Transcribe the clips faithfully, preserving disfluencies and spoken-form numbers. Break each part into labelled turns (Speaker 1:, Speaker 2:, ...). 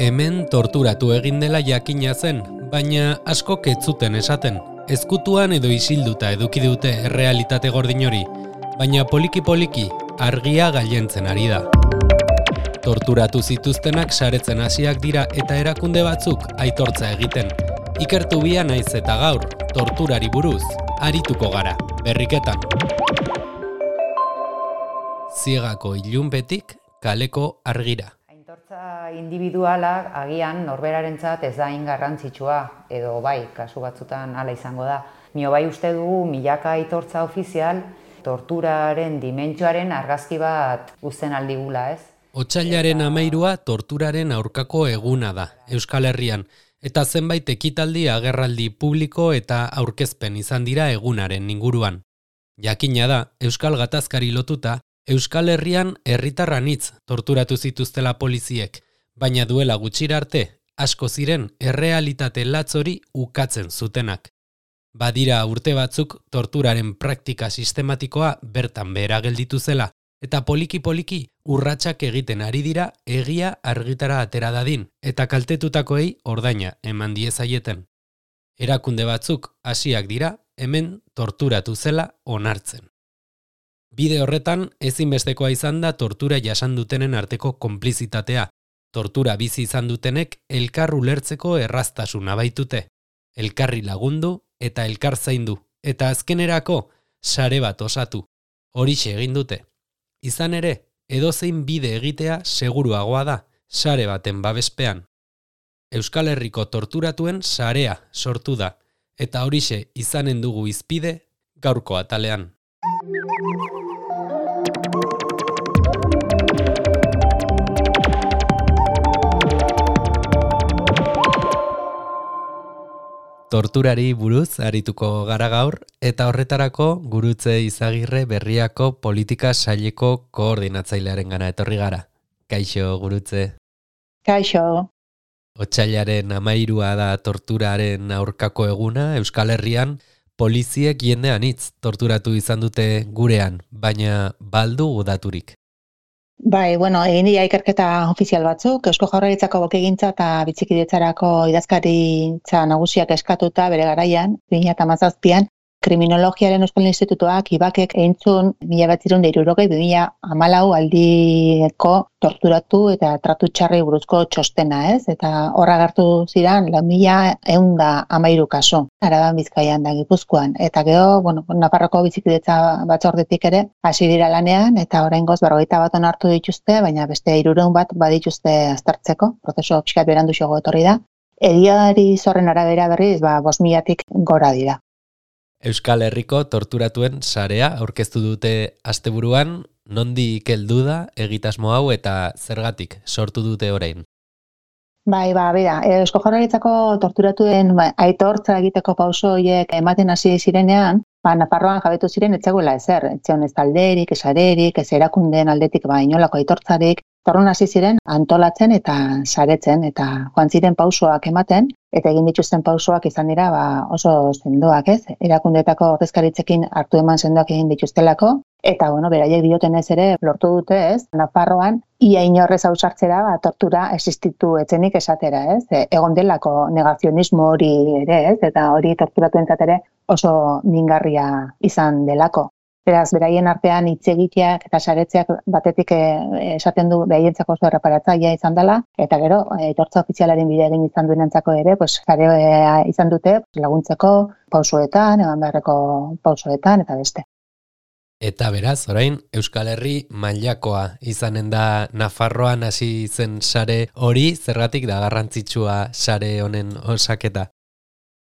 Speaker 1: Hemen torturatu egin dela jakina zen, baina askok ez zuten esaten. Ezkutuan edo isilduta eduki dute errealitate gordin hori, baina poliki-poliki argia gailentzen ari da. Torturatu zituztenak saretzen hasiak dira eta erakunde batzuk aitortza egiten. Ikertu bia naiz eta gaur, torturari buruz, arituko gara, berriketan. Ziegako ilunpetik kaleko argira.
Speaker 2: Aitortza individuala agian norberarentzat ez da hain garrantzitsua, edo bai, kasu batzutan hala izango da. Nio bai uste dugu milaka aitortza ofizial, torturaren dimentsioaren argazki bat uzten aldigula, ez?
Speaker 1: Otsailaren hamairua torturaren aurkako eguna da, Euskal Herrian, eta zenbait ekitaldi agerraldi publiko eta aurkezpen izan dira egunaren inguruan. Jakina da, Euskal Gatazkari lotuta, Euskal Herrian herritarranitz torturatu zituztela poliziek, baina duela gutxira arte, asko ziren errealitate latz hori ukatzen zutenak. Badira urte batzuk torturaren praktika sistematikoa bertan behera gelditu zela, eta poliki-poliki urratsak egiten ari dira egia argitara atera dadin, eta kaltetutakoei ordaina eman diezaieten. Erakunde batzuk hasiak dira hemen torturatu zela onartzen. Bide horretan ezinbestekoa izan da tortura jasan dutenen arteko konplizitatea. Tortura bizi izan dutenek elkar ulertzeko erraztasuna baitute. Elkarri lagundu eta elkar zaindu, eta azkenerako sare bat osatu. Horixe egin dute. Izan ere, edozein bide egitea seguruagoa da, sare baten babespean. Euskal Herriko torturatuen sarea sortu da, eta horixe izanen dugu hizpide gaurko atalean. Torturari buruz arituko gara gaur, eta horretarako Gurutze Izagirre Berriako politika saileko koordinatzailearen gana etorri gara. Kaixo, Gurutze.
Speaker 3: Kaixo.
Speaker 1: Otsailaren hamairua da torturaren aurkako eguna, Euskal Herrian poliziek jende anitz torturatu izan dute gurean, baina baldu daturik.
Speaker 3: Bai, bueno, egin dira ikerketa ofizial batzuk, Eusko Jaurlaritzako bakegintza eta bizikidetzarako idazkaritza nagusiak eskatuta bere garaian, bi mila hamazazpian, Kriminologiaren Euskal Institutuak ibakek eintzun mila bederatziehun eta hirurogei bi mila hamalau aldiko torturatu eta tratu txarrei buruzko txostena, ez? Eta horra agertu ziren lau mila ehun eta hamairu kasu, Araban, Bizkaian da Gipuzkoan. Eta gero, bueno, Nafarroko bizikidetza batzordetik ere hasi dira lanean, eta oraingoz berrogeita bat onartu dituzte, baina beste hirurehun bat badituzte aztertzeko, prozesu pixkat beranduxago etorri da. Egiari zorren arabera berriz, ba, bost milatik gora dira.
Speaker 1: Euskal Herriko torturatuen sarea aurkeztu dute asteburuan, nondik heldu da egitasmo hau eta zergatik sortu dute orain?
Speaker 3: Bai, ba, bera, Eusko Jaurlaritzako torturatuen ba, aitortza egiteko pauso horiek ematen hasi zirenean, ba, Nafarroan jabetu ziren etzegoela ezer, etzeon ez talderik, ez arerik, ez erakundeen aldetik ba, inolako aitortzarik, torrun hasi ziren antolatzen eta saretzen, eta joan ziren pausoak ematen, eta egin dituzten pausoak izan dira ba, oso sendoak, ez? Erakundeetako ordezkaritzekin hartu eman sendoak egin dituztelako, eta bueno, beraiek diotenez ere lortu dute, ez? Nafarroan ia inorrez ausartzera ba, tortura existitu etzenik esatera, ez? E, egon delako negazionismo hori ere, ez? Eta hori torturatuentzat ere oso mingarria izan delako. Beraz, beraien artean hitz egiteak eta saretzeak batetik eh, esaten du beraientzako oso erreparatzailea izan dela, eta gero, aitortza ofizialaren bide egin izan duenentzako ere, pues, sarea izan dute laguntzeko pausoetan, eman beharreko pausoetan, eta beste.
Speaker 1: Eta beraz, orain, Euskal Herri mailakoa izanen da Nafarroan hasi zen sare hori, zergatik da garrantzitsua sare honen osaketa?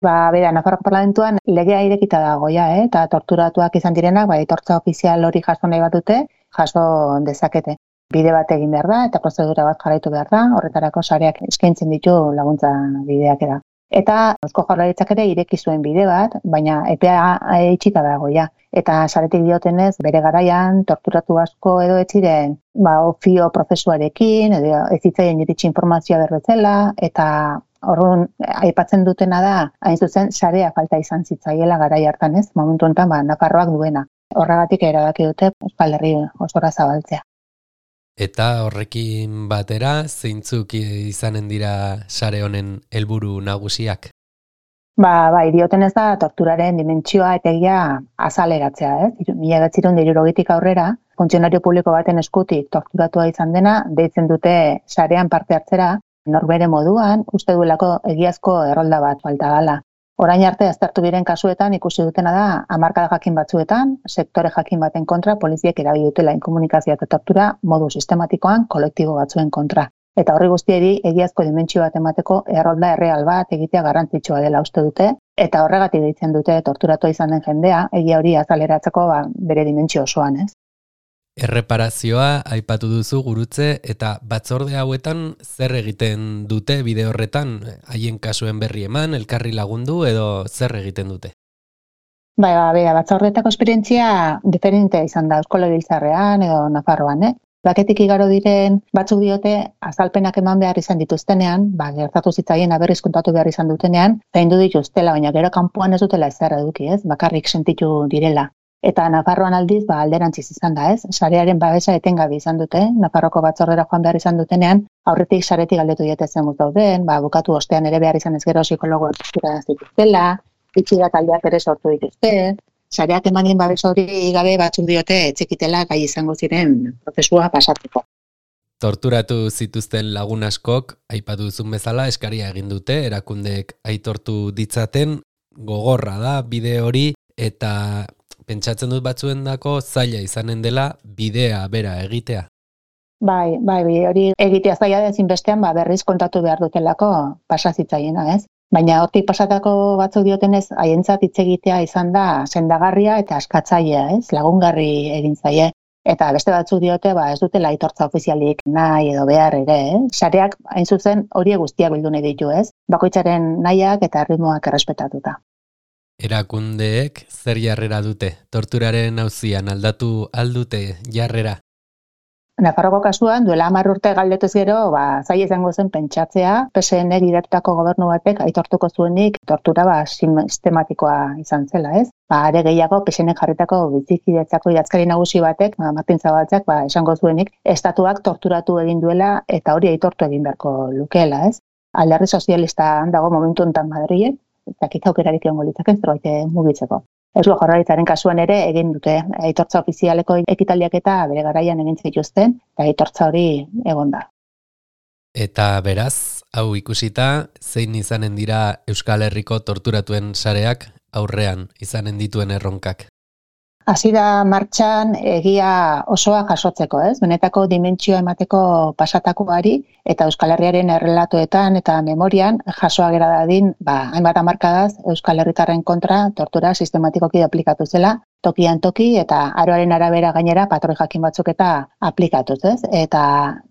Speaker 3: Ba, bera, Nafarroko Parlamentuan legea irekita dago ja, eh? Eta torturatuak izan direnak, ba, aitortza ofizial hori jaso nahi bat dute, jaso dezakete. Bide bat egin behar da, eta prozedura bat jarraitu behar da, horretarako sareak eskaintzen ditu laguntza bideak da. Eta Eusko Jaurlaritzak ere ireki zuen bide bat, baina epea itxita dago ja. Eta saretik diotenez, bere garaian torturatu asko edo ez ziren, ba, ofio prozesuarekin, edo ez zitzaien iritsi informazioa berbezela, eta Orduan, aipatzen dutena da, hain zuzen, sarea falta izan zitzaiela garai hartan, ez? Momentu honetan, ba, Nafarroak duena. Horregatik erabaki dute Euskal Herri osora zabaltzea.
Speaker 1: Eta horrekin batera, zeintzuk izanen dira sare honen helburu nagusiak?
Speaker 3: Ba, bai, dioten ez da torturaren dimentsioa eta egia azaleratzea, ez? Mila bederatziehun eta hirurogeitik aurrera, funtzionario publiko baten eskutik torturatua izan dena, deitzen dute sarean parte hartzera, norbere moduan, uste duelako egiazko errolda bat falta dela. Orain arte aztertu diren kasuetan ikusi dutena da hamarkada jakin batzuetan, sektore jakin baten kontra, poliziek erabili dutela inkomunikazioa eta tortura modu sistematikoan kolektibo batzuen kontra. Eta horri guztieri egiazko dimentsio bat emateko errolda erreal bat egitea garrantzitsua dela uste dute, eta horregatik deitzen dute torturatua izan den jendea, egia hori azaleratzeko ba, bere dimentsio osoan, ez?
Speaker 1: Erreparazioa aipatu duzu Gurutze, eta batzorde hauetan zer egiten dute bide horretan, haien kasuen berri eman, elkarri lagundu edo zer egiten dute?
Speaker 3: Bai, ba, bera, batzordeetako esperientzia diferente izan da Eusko Legebiltzarrean edo Nafarroan, eh? Baketik igaro diren batzuk diote azalpenak eman behar izan dituztenean, ba, gertatu zitzaien aberriz kontatu behar izan dutenean, zaindu dituztela, baina gero kanpoan ez dutela ezer eduki, ez? Bakarrik sentitu direla. Eta Nafarroan aldiz, ba, alderantziz izan da, ez? Sarearen babesa etengabe izan dute, Nafarroko batzordera joan behar izan dutenean, aurretik saretik galdetu diete zen dauden, ba, bukatu ostean ere behar izan ez gero psikologo tortura zituztela, itxiga taldeak ere sortu dituzte, sareak emanien babes hori gabe batzuk diote etxekitela gai izango ziren prozesua pasatzeko.
Speaker 1: Torturatu zituzten lagun askok, aipatu duzun bezala, eskaria egin dute, erakundeek aitortu ditzaten, gogorra da bide hori, eta pentsatzen dut batzuendako zaila izanen dela bidea bera egitea.
Speaker 3: Bai, bai, bide hori egitea zaila da ezinbestean, ba, berriz kontatu behar dutelako pasazitzaiena, ez? Baina hortik pasatako batzuk diotenez, haientzat hitz egitea izan da sendagarria eta askatzailea, ez? Lagungarri egin zaie. Eta beste batzuk diote, ba, ez dutela aitortza ofizialik nahi edo behar ere, eh? Sareak hain zuzen horiek guztiak bildu nahi ditu, ez? Bakoitzaren nahiak eta erritmoak errespetatuta.
Speaker 1: Erakundeek zer jarrera dute? Torturaren auzian aldatu aldute jarrera?
Speaker 3: Nafarroko kasuan, duela hamar urte galdetuz gero, ba, zaila izango zen pentsatzea, P S N gidatutako gobernu batek aitortuko zuenik tortura ba, sistematikoa izan zela, ez? Ba, are gehiago, P S N jarritako bizikidetzako idazkari nagusi batek, ba, Martin Zabaltzak, ba, esango zuenik, estatuak torturatu egin duela eta hori aitortu egin beharko lukeela, ez? Alderdi sozialista dago momentu honetan Madrilen, eta kita aukerarik egongo litzake zerbait mugitzeko. Eusko Jaurlaritzaren kasuan ere egin dute aitortza ofizialeko ekitaldiak eta bere garaian egin zituzten, eta aitortza hori egon da.
Speaker 1: Eta beraz, hau ikusita, zein izanen dira Euskal Herriko torturatuen sareak aurrean izanen dituen erronkak?
Speaker 3: Hasi da martxan egia osoa jasotzeko, ez? Benetako dimentsioa emateko pasatakoari eta Euskal Herriaren errelatoetan eta memorian jasoa gera dadin, ba, hainbat hamarkadaz Euskal Herritarren kontra tortura sistematikoki aplikatu zela, tokian toki eta aroaren arabera gainera patroi jakin batzuk eta aplikatuz, ez? Eta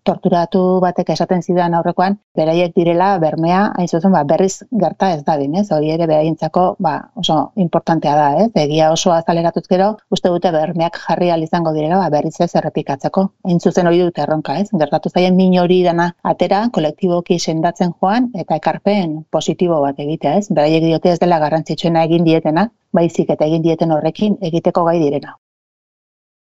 Speaker 3: torturatu batek esaten zidan aurrekoan, beraiek direla bermea, hain zuzen, ba, berriz gerta ez dadin, ez? Hori ere beraientzako, ba, oso importantea da, ez? Egia osoa azaleratuz gero, uste dute bermeak jarri ahal izango direla, ba, berriz ez errepikatzeko. Hain zuzen hori dute erronka, ez? Gertatu zaien min hori dana atera, kolektiboki sendatzen joan eta ekarpen positibo bat egitea, ez? Beraiek diote ez dela garrantzitsuena egin dietena, baizik eta egin dieten horrekin egiteko gai direna.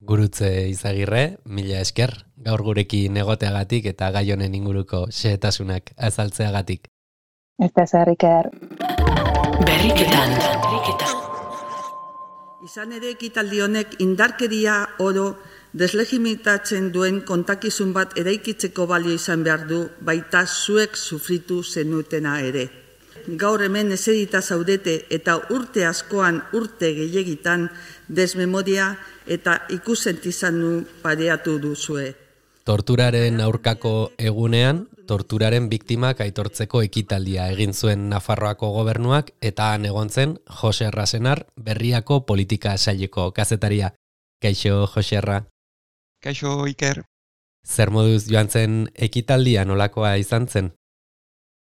Speaker 1: Gurutze Izagirre, mila esker, gaur gurekin egoteagatik eta gai honen inguruko xehetasunak azaltzeagatik.
Speaker 3: Ez da zer, Iker.
Speaker 4: Berriketan.
Speaker 5: Izan ere ekitaldi honek indarkeria oro deslegimitatzen duen kontakizun bat eraikitzeko balio izan behar du, baita zuek sufritu zenutena ere. Gaur hemen eserita zaudete eta urte askoan urte gehiegitan desmemoria eta ikusentizanu pareatu duzue.
Speaker 1: Torturaren aurkako egunean, torturaren biktimak aitortzeko ekitaldia egin zuen Nafarroako gobernuak eta han egon zen Jose Rasenar, Berriako politika saileko kazetaria. Kaixo, Joserra.
Speaker 6: Kaixo, Iker.
Speaker 1: Zer moduz joan zen ekitaldia nolakoa izan zen?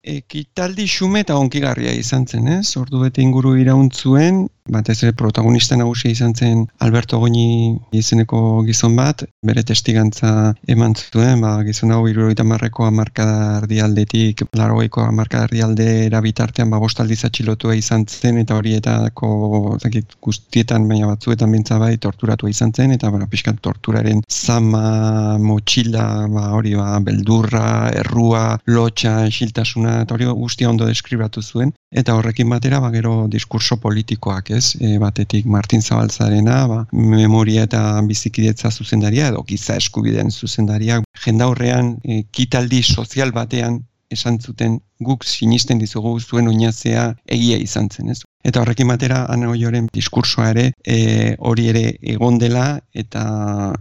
Speaker 6: Ekitaldi xume eta onkigarria izan zen, ez? Ordu bete inguru irauntzuen, batez ere protagonista nagusia izan zen Alberto Goñi izeneko gizon bat, bere testigantza eman zuen, ba, gizon hau hirurogeita hamarreko hamarkada erdialdetik laurogeiko hamarkada erdialdera bitartean ba bost aldiz atxilotua izan zen eta horietako zakit, guztietan baina batzuetan bintza bai torturatua izan zen eta bueno, pixkat torturaren zama, motxila, ba, hori ba, beldurra, errua, lotxa, esiltasuna eta hori guztia ondo deskribatu zuen, eta horrekin batera ba, gero diskurso politikoak, ez? E, batetik Martin Zabaltzarena, ba, memoria eta bizikidetza zuzendaria, edo giza eskubideen zuzendaria, jendaurrean e, kitaldi sozial batean esan zuten guk sinisten dizugu zuen oinazea egia izan zen, ez? Eta horrekin batera Ana Oioren diskursoa ere e, hori ere egon dela eta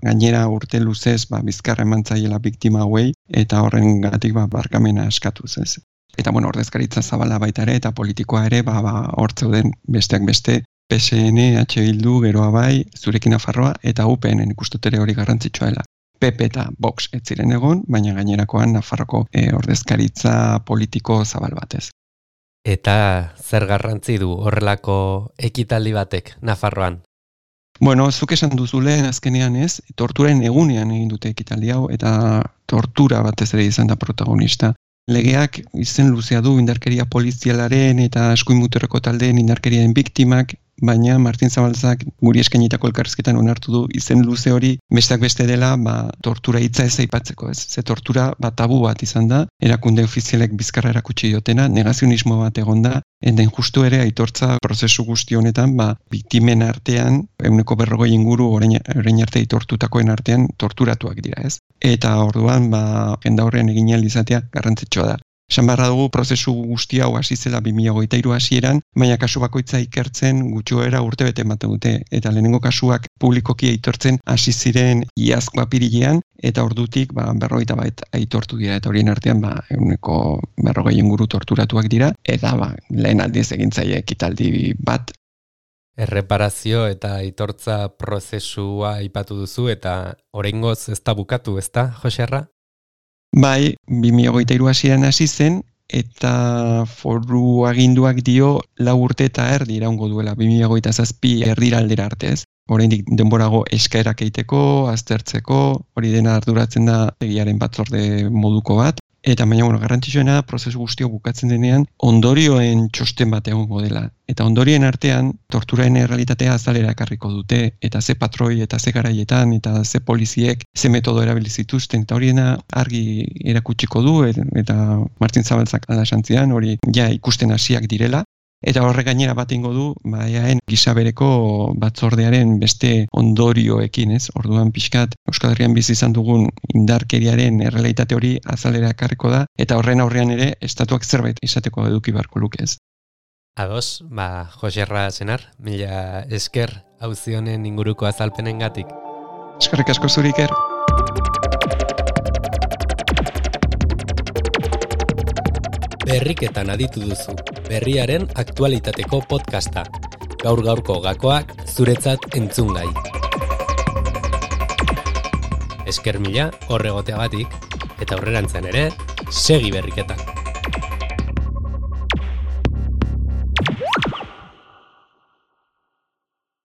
Speaker 6: gainera urte luzez ba, bizkarra eman zaiela biktima hauei eta horrengatik ba, barkamena eskatuz, ez? Eta bueno, ordezkaritza zabala baita ere eta politikoa ere ba, ba, hor zeuden besteak beste P S N, H Bildu, geroa bai, Zurekin Nafarroa eta U P N ikustut ere hori garrantzitsua dela. P P eta Vox ez ziren egon, baina gainerakoan Nafarroko e, ordezkaritza politiko zabal batez.
Speaker 1: Eta zer garrantzi du horrelako ekitaldi batek Nafarroan?
Speaker 6: Bueno, zuk esan duzu lehen azkenean ez, torturen egunean egin dute ekitaldi hau eta tortura batez ere izan da protagonista. Legeak izen luzea du indarkeria polizialaren eta eskuin muturreko taldeen indarkeriaren biktimak, baina Martin Zabaltzak guri eskainitako elkarrizketan onartu du izen luze hori besteak beste dela ba, tortura hitza ez aipatzeko, ez? Ze tortura ba, tabu bat izan da, erakunde ofizialek bizkarra erakutsi diotena, negazionismo bat egon da, eta injustu ere aitortza prozesu guzti honetan ba, biktimen artean, ehuneko berrogei inguru orain, orain arte aitortutakoen artean torturatuak dira, ez? Eta orduan ba, jendaurrean egin ahal izatea garrantzitsua da. Esan barra dugu prozesu guzti hau hasi zela bi mila hogeita hiru hasieran, baina kasu bakoitza ikertzen gutxoera urtebete ematen dute eta lehenengo kasuak publikoki aitortzen hasi ziren iazko apirilean eta ordutik ba berrogeita bat aitortu dira eta horien artean ba ehuneko berrogei inguru torturatuak dira eta ba lehen aldiz egin zaie ekitaldi bat.
Speaker 1: Erreparazio eta aitortza prozesua aipatu duzu eta oraingoz ez da bukatu, ezta, Joserra?
Speaker 6: Bai, bi mila hogeita hiru hasieran hasi zen eta foru aginduak dio lau urte eta erdi iraungo duela bi mila hogeita zazpi erdiraldera arte, ez? Oraindik denborago eskaerak egiteko, aztertzeko, hori dena arduratzen da egiaren batzorde moduko bat. Eta baina bueno, garrantzitsuena prozesu guztio bukatzen denean ondorioen txosten bat egongo dela. Eta ondorioen artean torturaren errealitatea azalera ekarriko dute eta ze patroi eta ze garaietan eta ze poliziek ze metodo erabili zituzten eta horiena argi erakutsiko du eta Martin Zabaltzak ala santzian hori ja ikusten hasiak direla. Eta horrek gainera bat ingo du, ba, eaen gisa bereko batzordearen beste ondorioekin, ez? Orduan pixkat Euskal Herrian bizi izan dugun indarkeriaren errealitate hori azalera ekarriko da, eta horren aurrean ere estatuak zerbait izateko eduki beharko luke, ez?
Speaker 1: Ados, ba, Joserra Senar, mila esker auzi honen inguruko azalpenengatik.
Speaker 6: Eskerrik asko zuri, Iker.
Speaker 1: Berriketan aditu duzu, berriaren aktualitateko podcasta. Gaur gaurko gakoak zuretzat entzungai. Esker mila horregoteagatik eta aurrerantzean ere segi berriketan.